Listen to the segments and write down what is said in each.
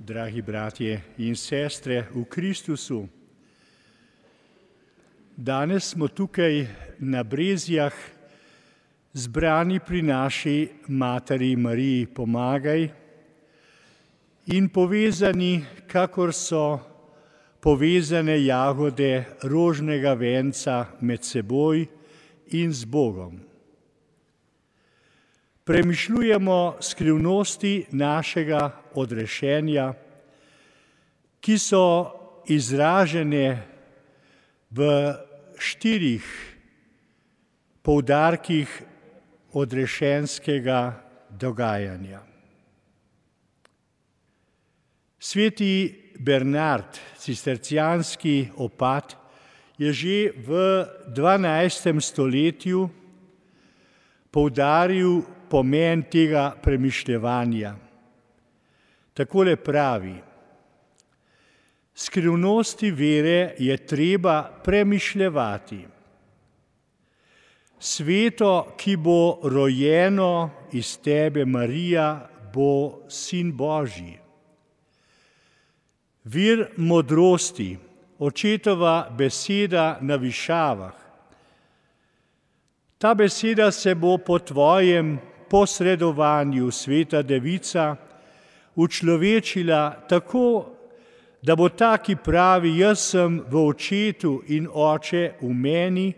Dragi bratje in sestre v Kristusu, danes smo tukaj na Brezjah zbrani pri naši Materi Mariji Pomagaj in povezani, kakor so povezane jagode rožnega venca med seboj in z Bogom. Premišljujemo skrivnosti našega odrešenja, ki so izražene v 4 poudarkih odrešenskega dogajanja. Sveti Bernard, cistercijanski opat, je že v 12. stoletju poudaril pomen tega premišljevanja. Takole pravi: skrivnosti vere je treba premišljevati. Sveto, ki bo rojeno iz tebe, Marija, bo sin Božji. Vir modrosti, očetova beseda na višavah. Ta beseda se bo po tvojem posredovanju, Sveta Devica, učlovečila tako, da bo ta, ki pravi, jaz sem v očetu in oče v meni,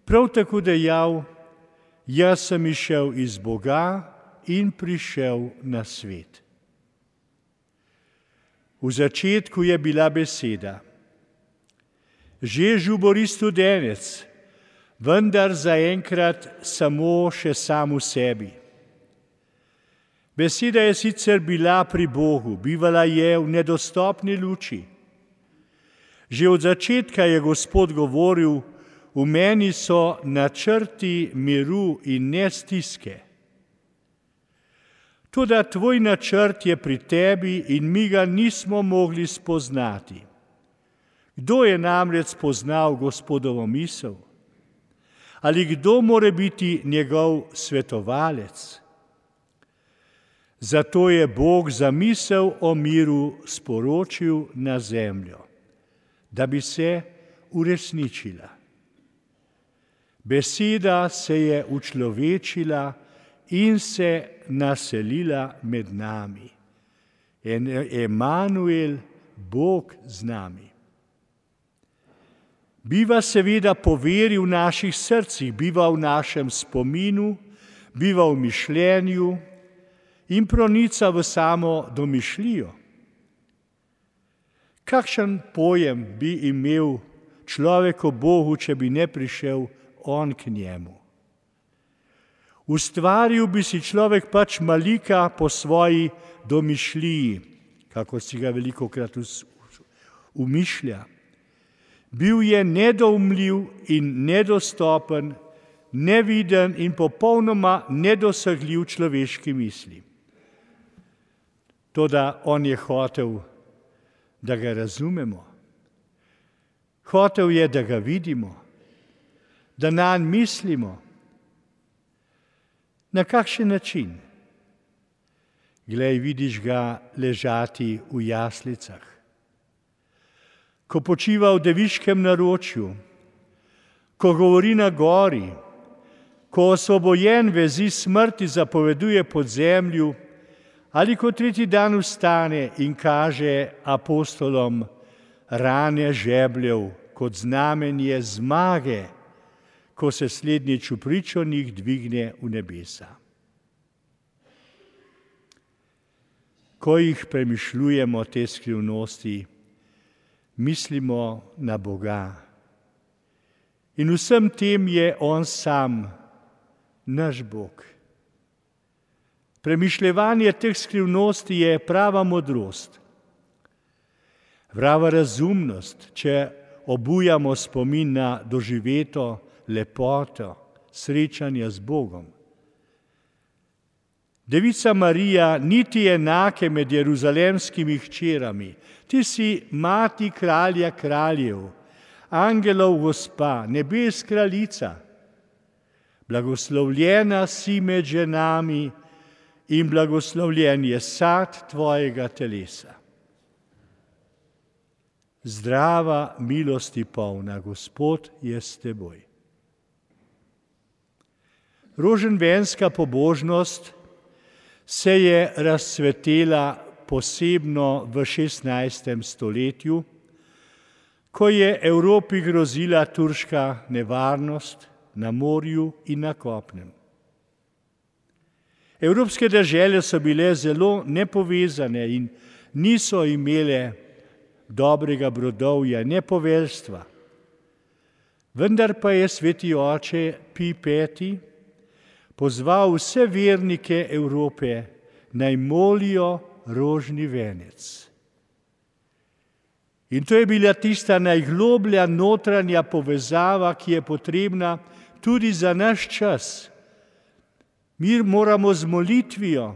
prav tako dejal, jaz sem izšel iz Boga in prišel na svet. V začetku je bila beseda. Že žubori studenec, vendar zaenkrat samo še sam v sebi. Beseda je sicer bila pri Bogu, bivala je v nedostopni luči. Že od začetka je Gospod govoril, v meni so načrti miru in ne stiske. Toda tvoj načrt je pri tebi in mi ga nismo mogli spoznati. Kdo je namreč spoznal Gospodovo misel? Ali kdo more biti njegov svetovalec? Zato je Bog zamisel o miru sporočil na zemljo, da bi se uresničila. Beseda se je učlovečila in se naselila med nami. Emanuel, Bog z nami. Biva seveda po veri v naših srcih, biva v našem spominu, biva v mišljenju in pronica v samo domišljijo. Kakšen pojem bi imel človek o Bogu, če bi ne prišel on k njemu? Ustvaril bi si človek pač malika po svoji domišljiji, kako si ga velikokrat umišlja. Bil je nedoumljiv in nedostopen, neviden in popolnoma nedosegljiv človeški misli. Toda on je hotel, da ga razumemo. Hotel je, da ga vidimo, da nanj mislimo. Na kakšen način? Glej, vidiš ga ležati v jaslicah. Ko počiva v deviškem naročju, ko govori na gori, ko osvobojen vezi smrti zapoveduje pod zemlju, ali ko 3. dan vstane in kaže apostolom rane žebljev kot znamenje zmage, ko se slednjič v pričonih dvigne v nebesa. Ko jih premišljujemo te skrivnosti, mislimo na Boga. In vsem tem je on sam, naš Bog. Premišljevanje teh skrivnosti je prava modrost, prava razumnost, če obujamo spomin na doživeto lepoto srečanja z Bogom. Devica Marija niti enake med jeruzalemskimi hčerami. Ti si mati kralja kraljev, angelov gospa, nebes kraljica. Blagoslovljena si med ženami in blagoslovljen je sad tvojega telesa. zdrava, milosti polna, Gospod je s teboj. Roženvenska pobožnost se je razcvetela posebno v 16. stoletju, ko je Evropi grozila turška nevarnost na morju in na kopnem. Evropske dežele so bile zelo nepovezane in niso imele dobrega brodovja, ne poveljstva. Vendar pa je sveti oče Pij V. pozval vse vernike Evrope, naj molijo rožni venec. In to je bila tista najgloblja notranja povezava, ki je potrebna tudi za naš čas. Mi moramo z molitvijo,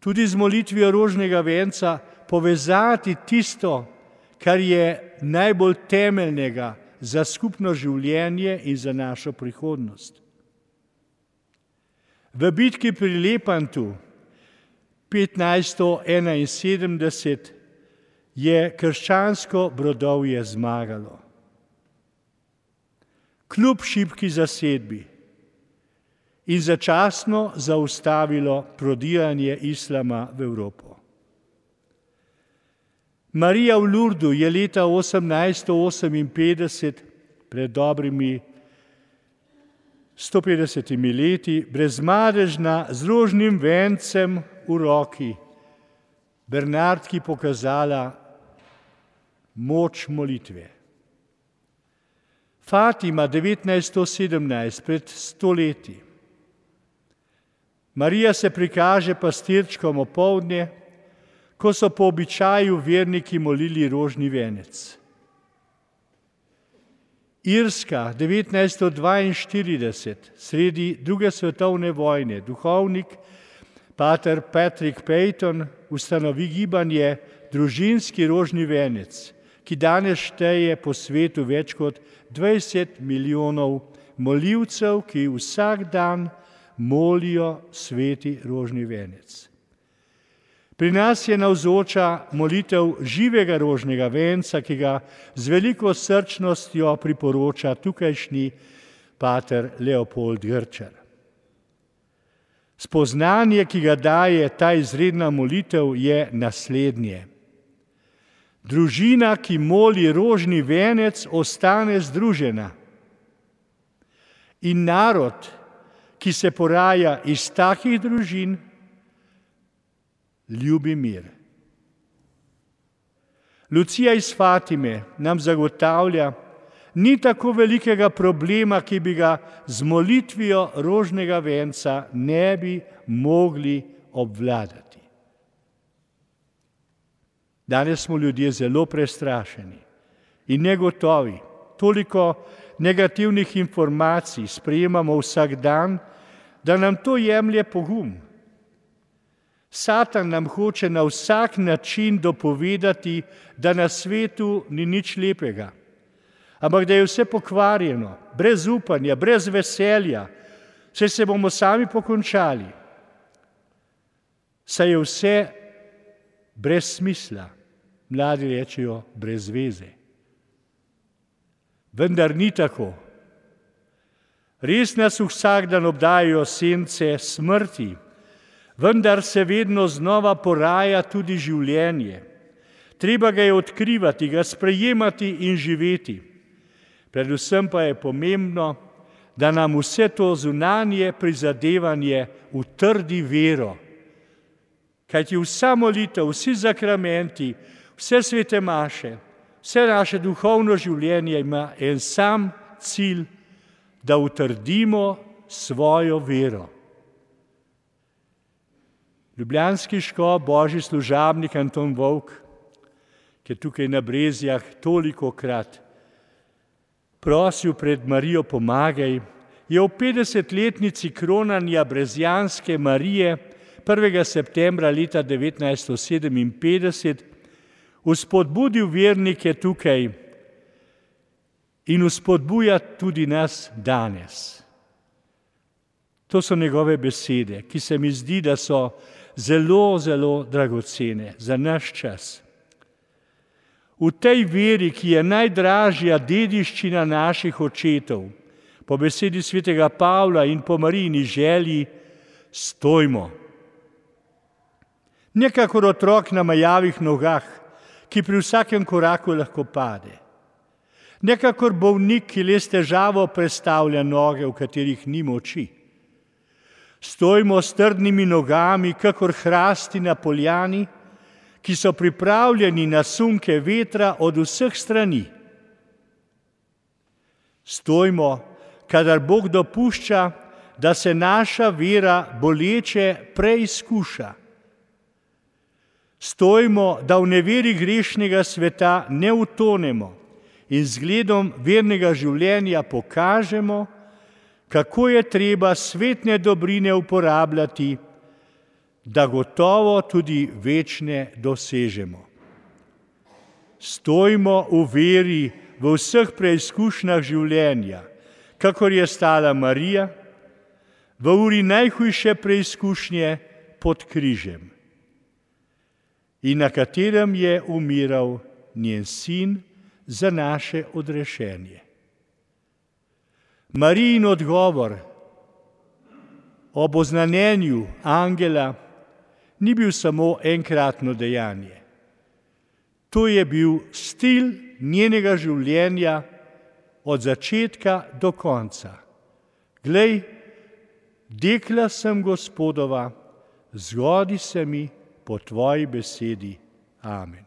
tudi z molitvijo rožnega venca, povezati tisto, kar je najbolj temeljnega za skupno življenje in za našo prihodnost. V bitki pri Lepantu 1571 je krščansko brodovje zmagalo. Kljub šibki zasedbi in začasno zaustavilo prodiranje islama v Evropo. Marija v Lurdu je leta 1858, pred dobrimi 150 leti, brezmadežna z rožnim vencem v roki, Bernardki pokazala moč molitve. Fatima 1917, pred 100 leti. Marija se prikaže pastirčkom opoldne, ko so po običaju verniki molili rožni venec. Irska 1942, sredi druge svetovne vojne, duhovnik pater Patrick Peyton ustanovi gibanje Družinski rožni venec, ki danes šteje po svetu več kot 20 milijonov molivcev, ki vsak dan molijo sveti rožni venec. Pri nas je navzoča molitev živega rožnega venca, ki ga z veliko srčnostjo priporoča tukajšnji pater Leopold Grčar. Spoznanje, ki ga daje ta izredna molitev, je naslednje. Družina, ki moli rožni venec, ostane združena. In narod, ki se poraja iz takih družin, ljubi mir. Lucija iz Fatime nam zagotavlja, ni tako velikega problema, ki bi ga z molitvijo rožnega venca ne bi mogli obvladati. Danes smo ljudje zelo prestrašeni in negotovi. Toliko negativnih informacij sprejemamo vsak dan, da nam to jemlje pogum. Satan nam hoče na vsak način dopovedati, da na svetu ni nič lepega, ampak da je vse pokvarjeno, brez upanja, brez veselja, saj se bomo sami pokončali. Saj je vse brez smisla, mladi rečejo brez veze. Vendar ni tako. Res nas vsak dan obdajajo sence smrti, vendar se vedno znova poraja tudi življenje. Treba ga je odkrivati, ga sprejemati in živeti. Predvsem pa je pomembno, da nam vse to zunanje prizadevanje utrdi vero. Kajti vsa molitev, vsi zakramenti, vse svete maše, vse naše duhovno življenje ima en sam cilj, da utrdimo svojo vero. Ljubljanski škof, božji služabnik Anton Volk, ki je tukaj na Brezjah tolikokrat prosil pred Marijo pomagaj, je v 50-letnici kronanja Brezjanske Marije 1. septembra leta 1957 vzpodbudil vernike tukaj in vzpodbuja tudi nas danes. To so njegove besede, ki se mi zdi, da so zelo, zelo dragocene za naš čas. V tej veri, ki je najdražja dediščina naših očetov, po besedi svetega Pavla in po Marijini želji, stojmo. Ne kakor otrok na majavih nogah, ki pri vsakem koraku lahko pade. Ne kakor bolnik, ki le s težavo prestavlja noge, v katerih ni moči. Stojmo s trdnimi nogami, kakor hrasti na poljani, ki so pripravljeni na sunke vetra od vseh strani. Stojmo, kadar Bog dopušča, da se naša vera boleče preizkuša. Stojmo, da v neveri grešnega sveta ne utonemo in zgledom vernega življenja pokažemo, kako je treba svetne dobrine uporabljati, da gotovo tudi večne dosežemo. Stojmo v veri v vseh preizkušnjah življenja, kakor je stala Marija, v uri najhujše preizkušnje pod križem, in na katerem je umiral njen sin za naše odrešenje. Marijin odgovor ob oznanjenju angela ni bil samo enkratno dejanje. To je bil stil njenega življenja od začetka do konca. Glej, dekla sem Gospodova, zgodi se mi po tvoji besedi. Amen.